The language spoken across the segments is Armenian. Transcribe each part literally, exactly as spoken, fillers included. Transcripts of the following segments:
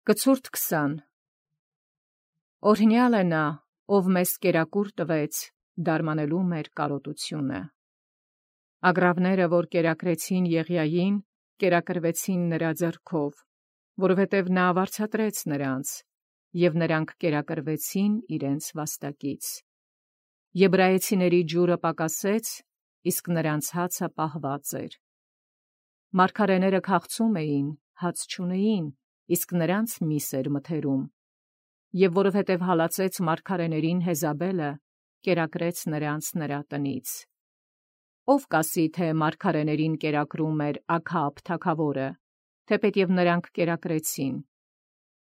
Կցուրդ քսան Օրհնյալ է նա, ով մեզ կերակուր տվեց, դարմանելու մեր կարոտությունը։ Ագռավները, որ կերակրեցին Եղիային, կերակրվեցին նրա ձեռքով, որովհետև նա վարձատրեց նրանց, և նրանք կերակրվեցին իրենց վաստակից։ Եբրայեցիների ջուրը պակասեց, իսկ նրանց հացը պահված էր։ Մարգարեները քաղցում էին, հաց չունեին, իսկ նրանց միս էր մթերում։ Եվ որովհետև հալածեց մարգարեներին Հեզաբելը, կերակրեց նրանց նրա տնից։ Ով կասի, թե մարգարեներին կերակրում էր Աքաբ թագավորը, թեպետև նրանք կերակրեցին։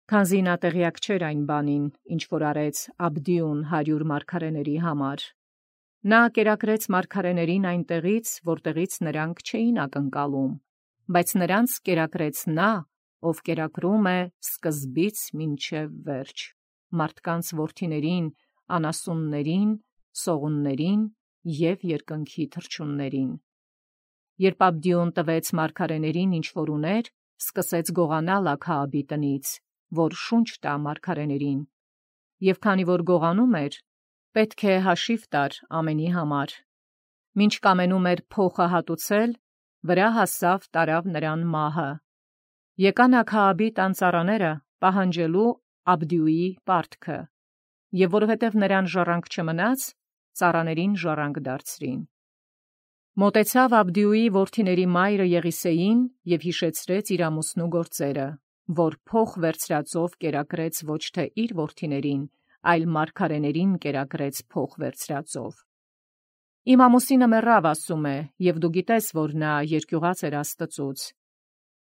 Քանզի նա տեղյակ չէր այն բանին, ինչ որ արեց Աբդիուն հարյուր մարգարեների համար։ Նա կերակրեց մարգարեներին այնտեղից, որտեղից նրանք չէին ակնկալում, բայց նրանց կերակրեց նա, ով կերակրում է սկզբից մինչև վերջ, մարդկանց որդիներին, անասուններին, սողուններին և երկնքի թռչուններին։ Երբ Աբդիուն տվեց մարգարեներին ինչ որ ուներ, սկսեց գողանալ Աքաաբի տնից, որ շունչ տա մարգարեներին, և քանի որ գողանում էր, պետք է հաշիվ տար ամենի համար։ Մինչ կամենում էր փոխը հատուցել, վրա հասավ տարավ նրան մահը։ Եկան Աքաաբի տան ծառաները պահանջելու Աբդիուի պարտքը, և որովհետև նրան ժառանգ չմնաց, ծառաներին ժառանգ դարձրին։ Մոտեցավ Աբդիուի որդիների մայրը Եղիսեին և հիշեցրեց իր ամուսնու գործերը, որ փոխ վերցրածով կերակրեց ոչ թե իր որդիներին, այլ մարգարեներին կերակրեց փոխ վերցրածով։ Իմ ամուսինը մեռավ, ասում է, և դու գիտես, որ նա երկյուղած էր Աստծուց։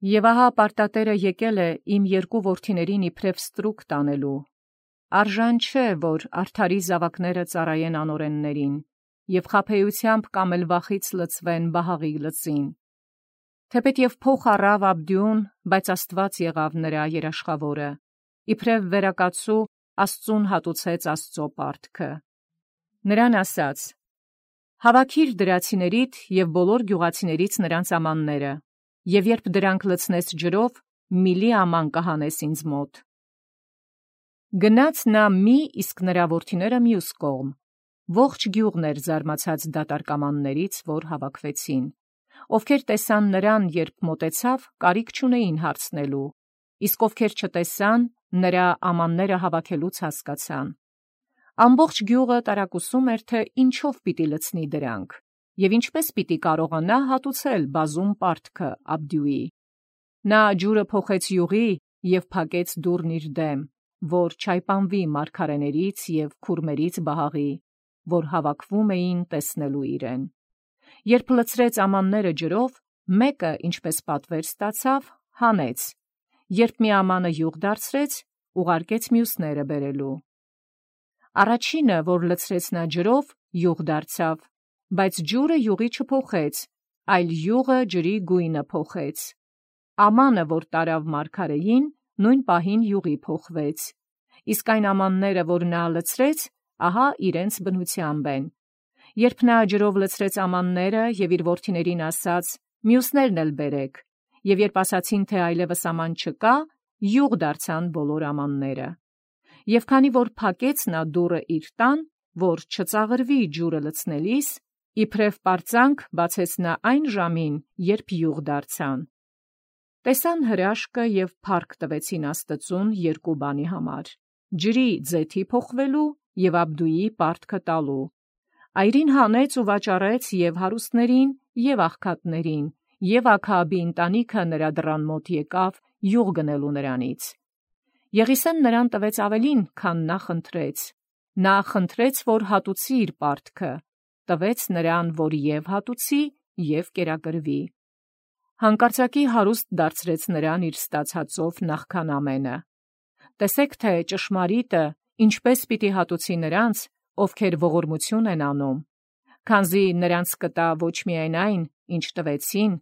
Եվ ահա պարտատերը եկել է իմ երկու որդիներին իբրև ստրուկ տանելու։ Արժան չէ, որ արդարի զավակները ծառայեն անօրեններին, և խաբեությամբ կամ էլ վախից լցվեն Բահաղի լծին։ Թեպետև փոխ առավ Աբդիուն, բայց Աստված եղավ նրա երաշխավորը, իբրև վերակացու Աստծուն հատուցեց Աստծո պարտքը։ Նրան ասաց. «Հավաքիր դրացիներիդ և բոլոր գյուղացիներից նրանց ամանները, և երբ դրանք լցնես ջրով, միլի աման կհանես ինձ մոտ»։ Գնաց նա մի, իսկ նրա որդիները մյուս կողմ։ Ողջ գյուղն էր զարմացած դատարկամաններից, որ հավաքվեցին։ Ովքեր տեսան նրան, երբ մոտեցավ, կարիք չունեին հարցնելու, իսկ ովքեր չտեսան, նրա ամանները հավաքելուց հասկացան։ Ամբողջ գյուղը տարակուսում էր, թե ինչով պիտի լցնի դրանք, և ինչպես պիտի կարողանա հատուցել բազում պարտքը Աբդիուի։ Նա ջուրը փոխեց յուղի և փակեց դուռն իր դեմ, որ չայպանվի մարգարեներից և քուրմերից Բահաղի, որ հավաքվում էին տեսնելու իրեն։ Երբ լցրեց ամանները ջրով, մեկը, ինչպես պատվեր ստացավ, հանեց, երբ մի ամանը յուղ դարձրեց, ուղարկեց մյուսները բերելու։ Առաջինը, որ լցրեց նա ջրով, յուղ դարձավ, բայց ջուրը յուղի չփոխեց, այլ յուղը ջրի գույնը փոխեց։ Ամանը, որ տարավ մարգարեին, նույն պահին յուղի փոխվեց, իսկ այն ամանները, որ նա լցրեց, ահա իրենց բնությամբ են։ Երբ նա ջրով լցրեց ամանները և իր որդիներին ասաց. «Մյուսներն էլ բերեք», և երբ ասացին, թե այլևս աման չկա, յուղ դարձան բոլոր ամանները։ Եվ քանի որ փակեց նա դուռը իր տան, որ չծաղրվի ջուրը լցնելիս, իբրև պարծանք բացեց նա այն ժամին, երբ յուղ դարձան։ Տեսան հրաշքը և փառք տվեցին Աստծուն երկու բանի համար. ջրի ձեթի փոխվելու և Աբդուի պարտքը տալու։ Այրին հանեց ու վաճառեց և հարուստներին, և աղքատներին, և Աքաաբի ընտանիքը նրա դռան մոտ եկավ յուղ գնելու նրանից։ Եղիսեն նրան տվեց ավելին, քան նա խնդրեց։ Նա խնդրեց, որ հատուցի իր պարտքը, տվեց նրան, որ և հատուցի, և կերակրվի։ Հանկարծակի հարուստ դարձրեց նրան իր ստացածով նախքան ամենը։ Տեսեք, թե ճշմարիտը ինչպես պիտի հատուցի նրանց, ովքեր ողորմություն են անում, քանզի նրանց կտա ոչ միայն այն, ինչ տվեցին,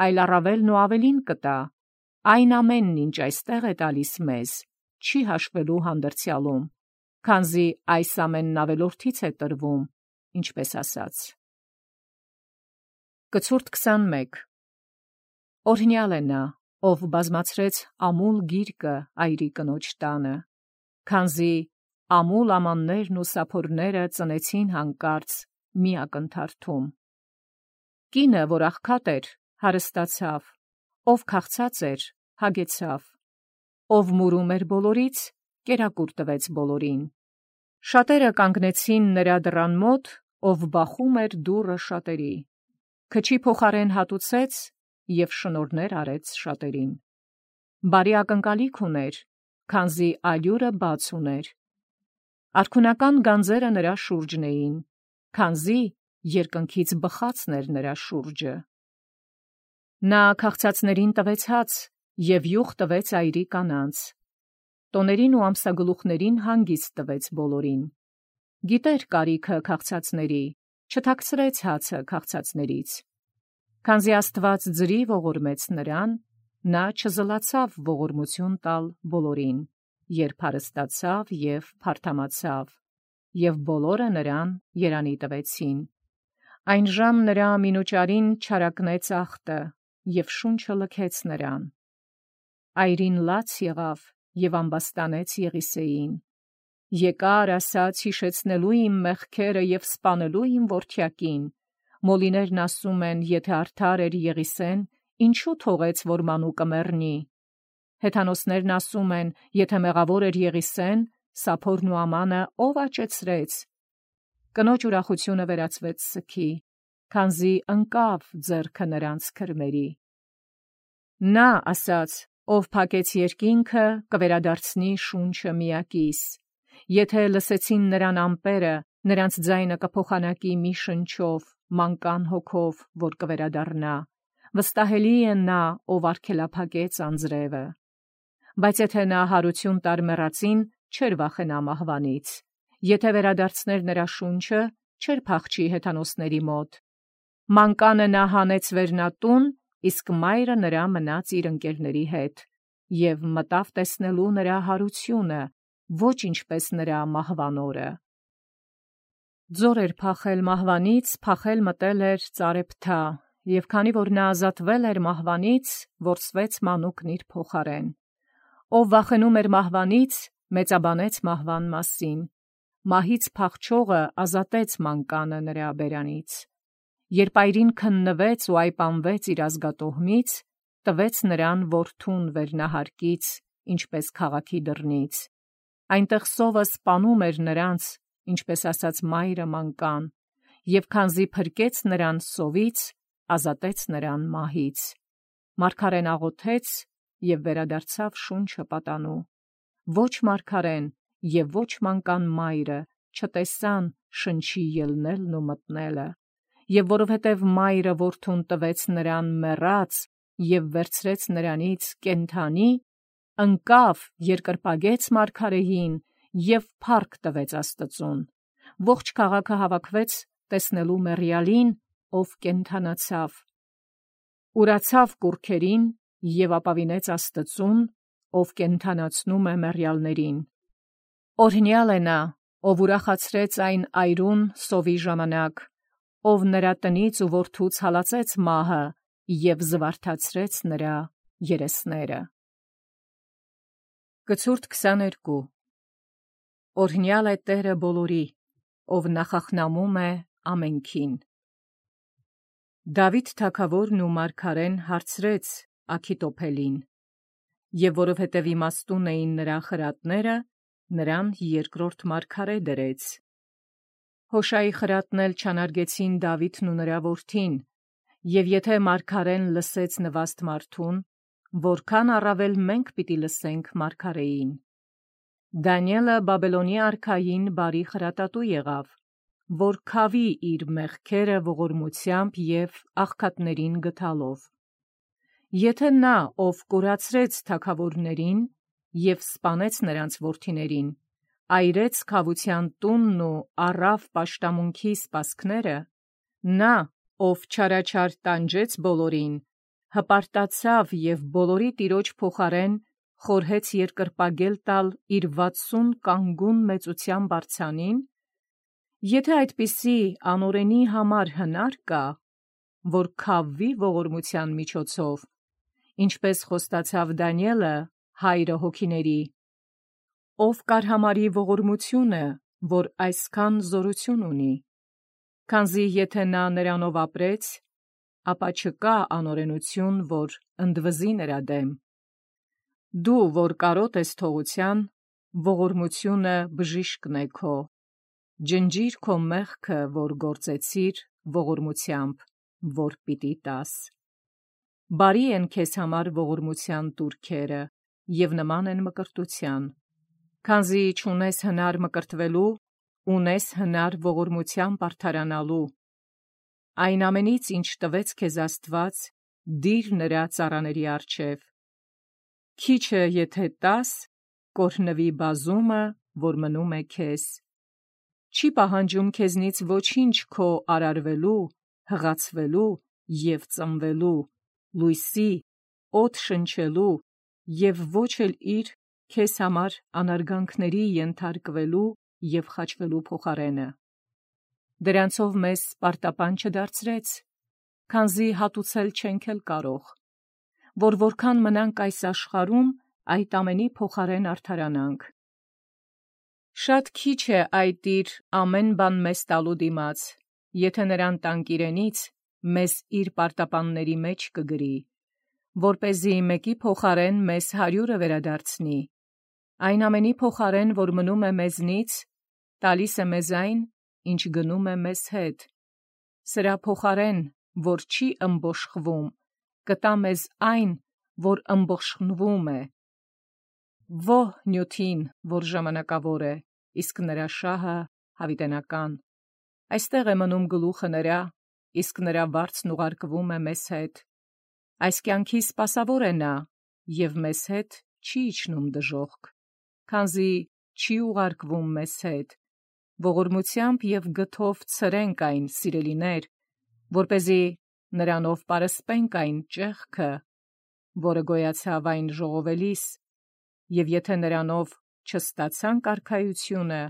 այլ առավելն ու ավելին կտա։ Այն ամենն, ինչ այստեղ է տալիս մեզ, չի հաշվելու հանդերձյալում, քանզի այս ամենն ավելորդից է տրվում, ինչպես ասաց։ Կցուրդ քսանմեկ Օրհնյալ է նա, ով բազմացրեց ամուլ գիրկը այրի կնոջ տանը, քանզի ամուլ ամաններն ու սափորները ծնեցին հանկարծ մի ակնթարթում։ Կինը, որ աղքատ էր, հարստացավ, ով քաղցած էր, հագեցավ, ով մուրում էր բոլորից, կերակուր տվեց բոլորին։ Շատերը կանգնեցին նրա դռան մոտ, ով բախում էր դուռը շատերի, քչի փոխարեն հատուցեց և շնորհներ արեց շատերին։ Բարի ակնկալիք ուներ, քանզի ալյուրը բաց ուներ։ Արքունական գանձերը նրա շուրջն էին, քանզի երկնքից բխածն էր նրա շուրջը։ Նա քաղցածներին տվեց հաց և յուղ տվեց այրի կանանց, տոներին ու ամսագլուխներին հանգիստ տվեց բոլորին։ Գիտեր կարիքը քաղցածների, չթաքցրեց հացը քաղցածներից։ Քանզի Աստված ձրի ողորմեց նրան, նա չզլացավ ողորմություն տալ բոլորին, երբ հարստացավ և փարթամացավ, և բոլորը նրան երանի տվեցին։ Այնժամ նրա մինուճարին չարակնեց ախտը, և շունչը լքեց նրան։ Այրին լաց եղավ և ամբաստանեց Եղիսեին. «Եկար, ասաց, հիշեցնելու իմ մեղքերը և սպանելու իմ որդյակին։ Մոլիներն ասում են, եթե արդար էր Եղիսեն, ինչու թողեց, որ մանուկը մեռնի։ Հեթանոսներն ասում են, եթե մեղավոր էր Եղիսեն, սափորն ու ամանը ով աճեցրեց։ Կնոջ ուրախությունը վերածվեց սգի, քանզի ընկավ ձեռքը նրանց քրմերի։ Նա ասաց, ով փակեց երկինքը, կվերադարձնի շունչը միակիս։ Եթե լսեցին նրան ամպերը, նրանց ձայնը կփոխանակի մի շնչով, մանկան հոգով, որ կվերադառնա։ Վստահելի է նա, ով արգելափակեց անձրևը։ Բայց եթե նա հարություն տար մեռածին, չէր վախենա մահվանից։ Եթե վերադարձներ նրա շունչը, չէր փախչի հեթանոսների մոտ։ Մանկանը նա հանեց վերնատուն, իսկ մայրը նրա մնաց իր ընկերների հետ, և մտավ տեսնելու նրա հարությունը, ոչ ինչպես նրա մահվան օրը։ Ձոր էր փախել մահվանից, փախել մտել էր ծարեփթա, և քանի որ նա ազատվել էր մահվանից, որսվեց մանուկն իր փոխարեն։ Ով վախենում էր մահվանից, մեծաբանեց մահվան մասին։ Մահից փախչողը ազատեց մանկանը նրա բերանից։ Երբ այրին քննվեց ու այպանվեց իր ազգատոհմից, տվեց նրան որդուն վերնահարկից, ինչպես քաղաքի դռնից։ Այնտեղ սովը սպանում էր նրանց, ինչպես ասաց մայրը մանկան, և քանզի փրկեց նրան սովից, ազատեց նրան մահից։ Մարգարեն աղոթեց և վերադարձավ շունչը պատանու։ Ոչ մարգարեն և ոչ մանկան մայրը չտեսան շնչի ելնելն ու մտնելը, և որովհետև մայրը որդուն տվեց նրան մեռած և վերցրեց նրանից կենդանի, ընկավ, երկրպագեց մարգարեին և փառք տվեց Աստծուն։ Ողջ քաղաքը հավաքվեց տեսնելու մեռյալին, ով կենդանացավ։ Ուրացավ կուռքերին և ապավինեց Աստծուն, ով կենդանացնում է մեռյալներին։ Օրհնյալ է նա, ով ուրախացրեց այն այրուն սովի ժամանակ, ով նրա տնից ու որդուց հալածեց մահը և զվարթացրեց նրա երեսները։ Կցուրդ քսաներկու Օրհնյալ է Տերը բոլորի, ով նախախնամում է ամենքին։ Դավիթ թագավորն ու մարգարեն հարցրեց Աքիթոփելին, և որովհետև իմաստուն էին նրա խրատները, նրան երկրորդ մարգարե դրեց։ Հոշայի խրատն էլ չանարգեցին Դավիթն ու նրա որդին, և եթե մարգարեն լսեց նվաստ մարդուն, որքան առավել մենք պիտի լսենք մարգարեին։ Դանիէլը Բաբելոնի արքային բարի խրատատու եղավ, որ քավի իր մեղքերը ողորմությամբ և աղքատներին գթալով։ Եթե նա, ով կորացրեց թագավորներին և սպանեց նրանց որդիներին, այրեց քավության տունն ու առավ պաշտամունքի սպասքները, նա, ով չարաչար տանջեց բոլորին, հպարտացավ և բոլորի տիրոջ փոխարեն խորհեց երկրպագել տալ իր վաթսուն կանգուն մեծությամբ արձանին, եթե այդպիսի անօրենի համար հնար կա, որ քավվի ողորմության միջոցով, ինչպես խոստացավ Դանիելը հայրը հոգիների, ով կարհամարի ողորմությունը, որ այսքան զորություն ունի, քանզի եթե նա նրանով ապրեց, ապա չկա անօրենություն, որ ընդվզի նրա դեմ։ Դու, որ կարոտ ես թողության, ողորմությունը բժիշկն է քո, ջնջիր քո մեղքը, որ գործեցիր ողորմությամբ, որ պիտի տաս։ Բարի են քեզ համար ողորմության տուրքերը, և նման են մկրտության, քանզի չունես հնար մկրտվելու, ունես հնար ողորմությամբ արդարանալու։ Այն ամենից, ինչ տվեց քեզ Աստված, դիր նրա ծառաների առջև։ Քիչը եթե տաս, կօրհնվի բազումը, որ մնում է քեզ։ Չի պահանջում քեզնից ոչինչ քո արարվելու, հղացվելու և ծնվելու, լույսի, օդ շնչելու և ոչ էլ իր քեզ համար անարգանքների ենթարկվելու և խաչվելու փոխարենը։ Դրանցով մեզ պարտապան չդարձրեց, քանզի հատուցել չենք էլ կարող, որ որքան մնանք այս աշխարհում, այդ ամենի փոխարեն արդարանանք։ Շատ քիչ է այդ իր ամեն բան մեզ տալու դիմաց, եթե նրան տանք իրենից, մեզ իր պարտապանների մեջ կգրի, որպեսզի մեկի փոխարեն մեզ հարյուրը վերադարձնի, այն ամենի փոխարեն, որ մնում է մեզնից, տալիս է մեզ այն, ինչ գնում է մեզ հետ, սրա փոխարեն, որ չի ըմբոշխվում, կտա մեզ այն, որ ըմբոշխնվում է։ Ո՛հ նյութին, որ ժամանակավոր է, իսկ նրա շահը հավիտենական։ Այստեղ է մնում գլուխը նրա, իսկ նրա վարձն ուղարկվում է մեզ հետ։ Այս կյանքի սպասավոր է նա, և մեզ հետ չի իջնում դժոխք, քանզի չի ուղարկվում մեզ հետ, ողորմությամբ և գթով ցրենք այն, սիրելիներ, որպեսզի նրանով պարսպենք այն ճեղքը, որը գոյացավ այն ժողովելիս, և եթե նրանով չստացանք արքայությունը,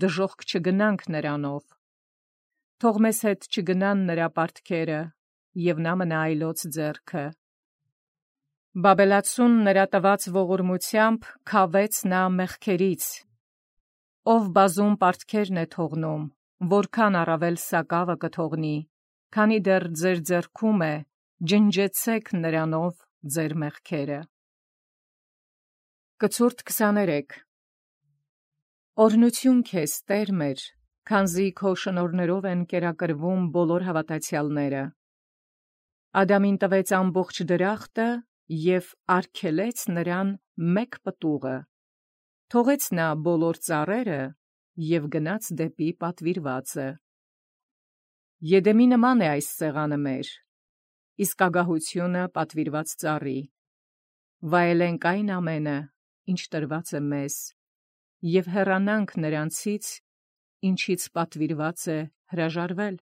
դժոխք չգնանք նրանով։ Թող մեզ հետ չգնան նրա պարտքերը, և նա մնա այլոց ձեռքը։ Բաբելացուն նրա տված ողորմությամբ քավեց նա մեղքերից, ով բազում պարտքերն է թողնում, որքան առավել սակավը կթողնի, քանի դեռ ձեր ձեռքում է, ջնջեցեք նրանով ձեր մեղքերը։ Կցուրդ քսաներեք Օրհնություն քեզ, Տեր մեր, քանզի քո շնորհներով են կերակրվում բոլոր հավատացյալները։ Ադամին տվեց ամբողջ դրախտը և արգելեց նրան մեկ պտուղը, թողեց նա բոլոր ծառերը և գնաց դեպի պատվիրվածը։ Եդեմի նման է այս սեղանը մեր, իսկ ագահությունը պատվիրված ծառի։ Վայելենք այն ամենը, ինչ տրված է մեզ, և հեռանանք նրանցից, ինչից պատվիրված է հրաժարվել։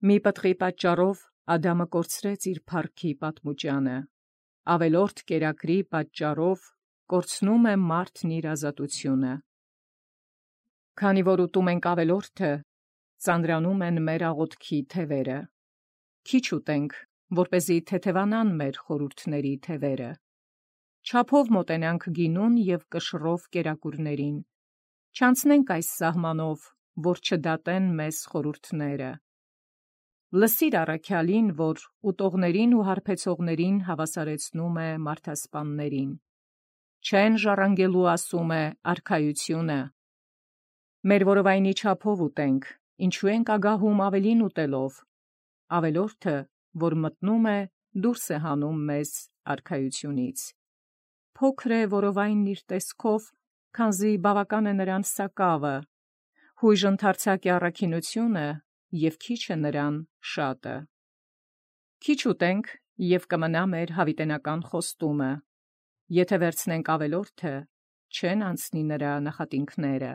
Մի պտղի պատճառով Ադամը կորցրեց իր փառքի պատմուճանը, ավելորդ կերակրի պատճառով կորցնում է մարդն իր ազատությունը։ Քանի որ ուտում ենք ավելորդը, ծանրանում են մեր աղոթքի թևերը։ Քիչ ուտենք, որպեսզի թեթևանան մեր խորհուրդների թևերը։ Չափով մոտենանք գինուն և կշռով կերակուրներին։ Չանցնենք այս սահմանով, որ չդատեն մեզ խորհուրդները։ Լսիր առաքյալին, որ ուտողներին ու հարբեցողներին հավասարեցնում է մարդասպաններին։ Չեն ժառանգելու, ասում է, արքայությունը։ Մեր որովայնի չափով ուտենք, ինչու ենք ագահում ավելին ուտելով։ Ավելորդը, որ մտնում է, դուրս է հանում մեզ արքայությունից։ Փոքր է որովայնն իր տեսքով, քանզի բավական է նրան սակավը, հույժ ընդարձակ է առաքինությունը, և քիչ է նրան շատը։ Քիչ ուտենք, և կմնա մեր հավիտենական խոստումը։ Եթե վերցնենք ավելորդը, չեն անցնի նրա նախատինքները։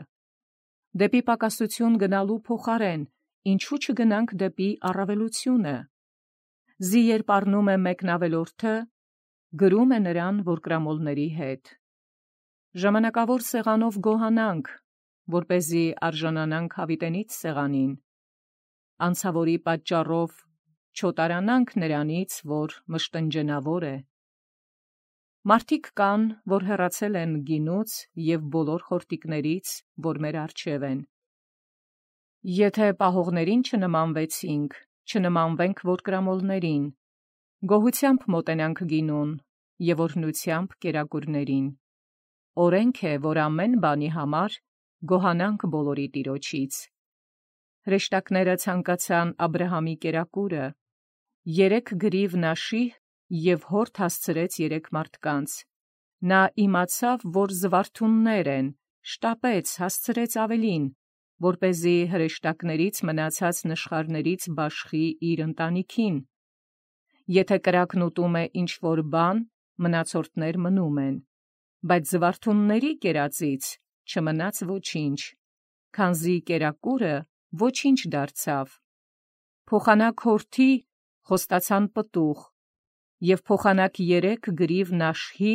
Դեպի պակասություն գնալու փոխարեն, ինչու չգնանք դեպի առավելությունը։ Զի երբ առնում է մեկն ավելորդը, գրում է նրան, որ կրամոլների հետ։ Ժամանակավոր սեղանով գոհանանք, որպեսզի արժանանանք հավիտենից սեղանին։ Անցավորի պատճառով չոտարանանք նրանից, որ մշտնջենավոր է։ Մարդիկ կան, որ հեռացել են գինուց և բոլոր խորտիկներից, որ մեր առջև են։ Եթե պահողներին չնմանվեցինք, չնմանվենք որկրամոլներին, գոհությամբ մոտենանք գինուն և օրհնությամբ կերակուրներին։ Օրենք է, որ ամեն բանի համար գոհանանք բոլորի Տիրոջից։ Հրեշտակները ցանկացան Աբրահամի կերակուրը, երեք գրիվ նաշի և հորդ հասցրեց երեք մարդկանց։ Նա իմացավ, որ զվարթուններ են, շտապեց, հասցրեց ավելին, որպեսզի հրեշտակներից մնացած նշխարներից բաշխի իր ընտանիքին։ Եթե կրակն ուտում է ինչ-որ բան, մնացորդներ մնում են, բայց զվարթունների կերածից չմնաց ոչինչ, քանզի կերակուրը ոչինչ դարձավ։ Փոխանակ հորթի խոստացան պտուղ, և փոխանակ երեք գրիվ նաշհի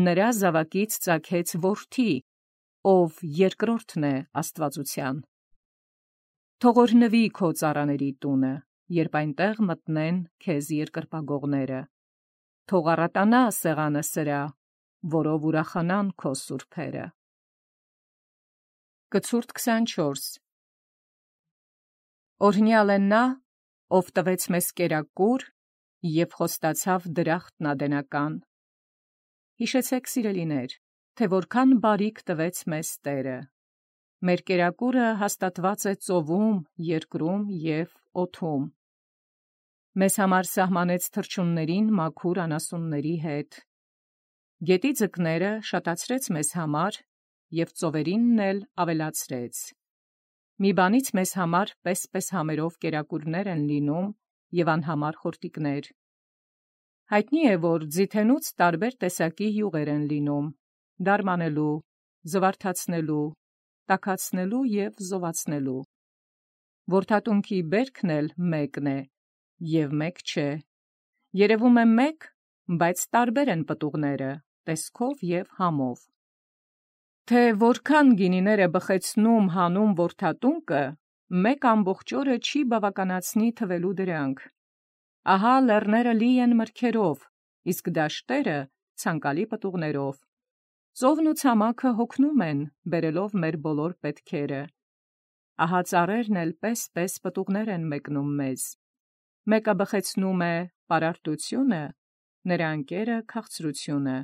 նրա զավակից ծագեց որդի, ով երկրորդն է աստվածության։ Թող օրհնվի քո ծառաների տունը, երբ այնտեղ մտնեն քեզ երկրպագողները։ Թող առատանա սեղանը սրա, որով ուրախանան քո սուրբերը։ Կցուրդ քսանչորս Օրհնյալ է նա, ով տվեց մեզ կերակուր և խոստացավ դրախտն ադենական։ Հիշեցեք, սիրելիներ, թե որքան բարիք տվեց մեզ Տերը։ Մեր կերակուրը հաստատված է ծովում, երկրում և օդում։ Մեզ համար սահմանեց թռչուններին մաքուր անասունների հետ։ Գետի ձկները շատացրեց մեզ համար և ծովերինն էլ ավելացրեց։ Մի բանից մեզ համար պես-պես համերով կերակուրներ են լինում և անհամար խորտիկներ։ Հայտնի է, որ ձիթենուց տարբեր տեսակի յուղեր են լինում՝ դարմանելու, զվարթացնելու, տաքացնելու և զովացնելու։ Որդատունքի բերքն էլ մեկն է և մեկ չէ։ Երևում է մեկ, բայց տարբեր են պտուղները, տեսքով և համով։ Թե որքան գինիներ է բխեցնում հանում որդատունկը, մեկ ամբողջ օրը չի բավականացնի թվելու դրանք։ Ահա լեռները լի են մրգերով, իսկ դաշտերը ցանկալի պտուղներով։ Ծովն ու ցամաքը հոգնում են, բերելով մեր բոլոր պետքերը։ Ահա ծառերն էլ պես-պես պտուղներ են մեկնում մեզ։ Մեկը բխեցնում է պարարտությունը, նրա ընկերը քաղցրությունը։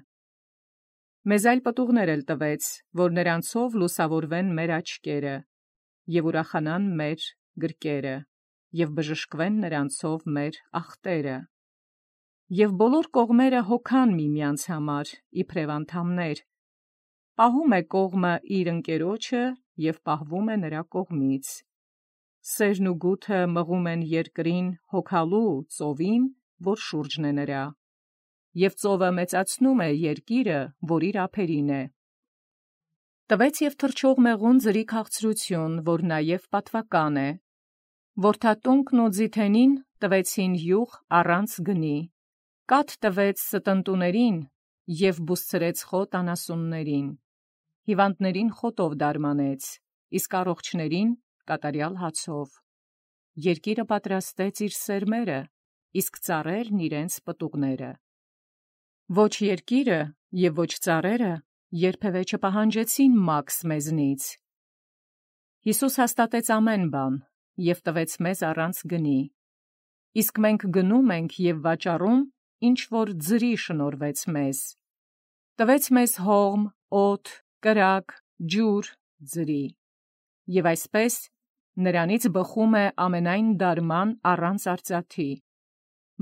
Մեզ այլ պտուղներ էլ տվեց, որ նրանցով լուսավորվեն մեր աչքերը և ուրախանան մեր գրկերը և բժշկվեն նրանցով մեր ախտերը։ Եվ բոլոր կողմերը հոգան միմյանց համար, իբրև անդամներ։ Պահում է կողմը իր ընկերոջը և պահվում է նրա կողմից։ Սերն ու գութը մղում են երկրին հոգալու ծովին, որ շուրջն է նրա, և ծովը մեծացնում է երկիրը, որ իր ափերին է։ Տվեց և թռչող մեղուն ձրի քաղցրություն, որ նաև պատվական է։ Որդատունկն ու ձիթենին տվեցին յուղ առանց գնի։ Կաթ տվեց ստընտուներին և բուսցրեց խոտ անասուններին։ Հիվանդներին խոտով դարմանեց, իսկ առողջներին կատարյալ հացով։ Երկիրը պատրաստեց իր սերմերը, իսկ ծառերն իրենց պտուղները։ Ոչ երկիրը և ոչ ծառերը երբևէ չպահանջեցին մաքս մեզնից։ Հիսուս հաստատեց ամեն բան և տվեց մեզ առանց գնի։ Իսկ մենք գնում ենք և վաճառում, ինչ որ ձրի շնորհվեց մեզ։ Տվեց մեզ հողմ, օդ, կրակ, ջուր, ձրի։ Եվ այսպես նրանից բխում է ամենայն դարման առանց արծաթի։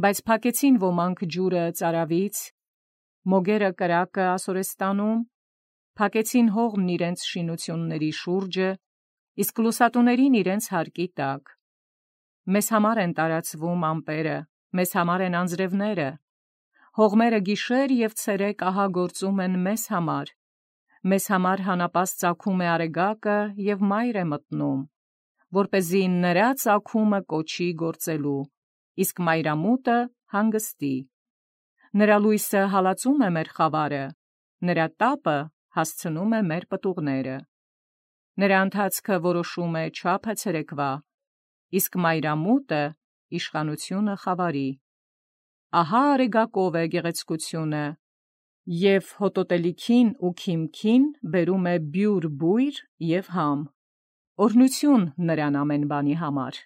Բայց փակեցին ոմանք ջուրը ծարավից, մոգերը կրակը ասորեստանում, փակեցին հողմն իրենց շինությունների շուրջը, իսկ լուսատուներին իրենց հարկի տակ։ Մեզ համար են տարածվում ամպերը, մեզ համար են անձրևները։ Հողմերը գիշեր և ցերեկ ահա գործում են մեզ համար։ Մեզ համար հանապաս ծագում է արեգակը և մայր է մտնում, որպեսզի նրա ծագումը կոչի գործելու, իսկ մայրամուտը հանգստի։ Նրա լույսը հալածում է մեր խավարը, նրա տապը հասցնում է մեր պտուղները։ Նրա ընթացքը որոշում է չափը ցերեկվա, իսկ մայրամուտը իշխանությունը խավարի։ Ահա արեգակով է գեղեցկությունը, և հոտոտելիքին ու քիմքին բերում է բյուր բույր և համ։ Օրհնություն նրան ամեն բանի համար։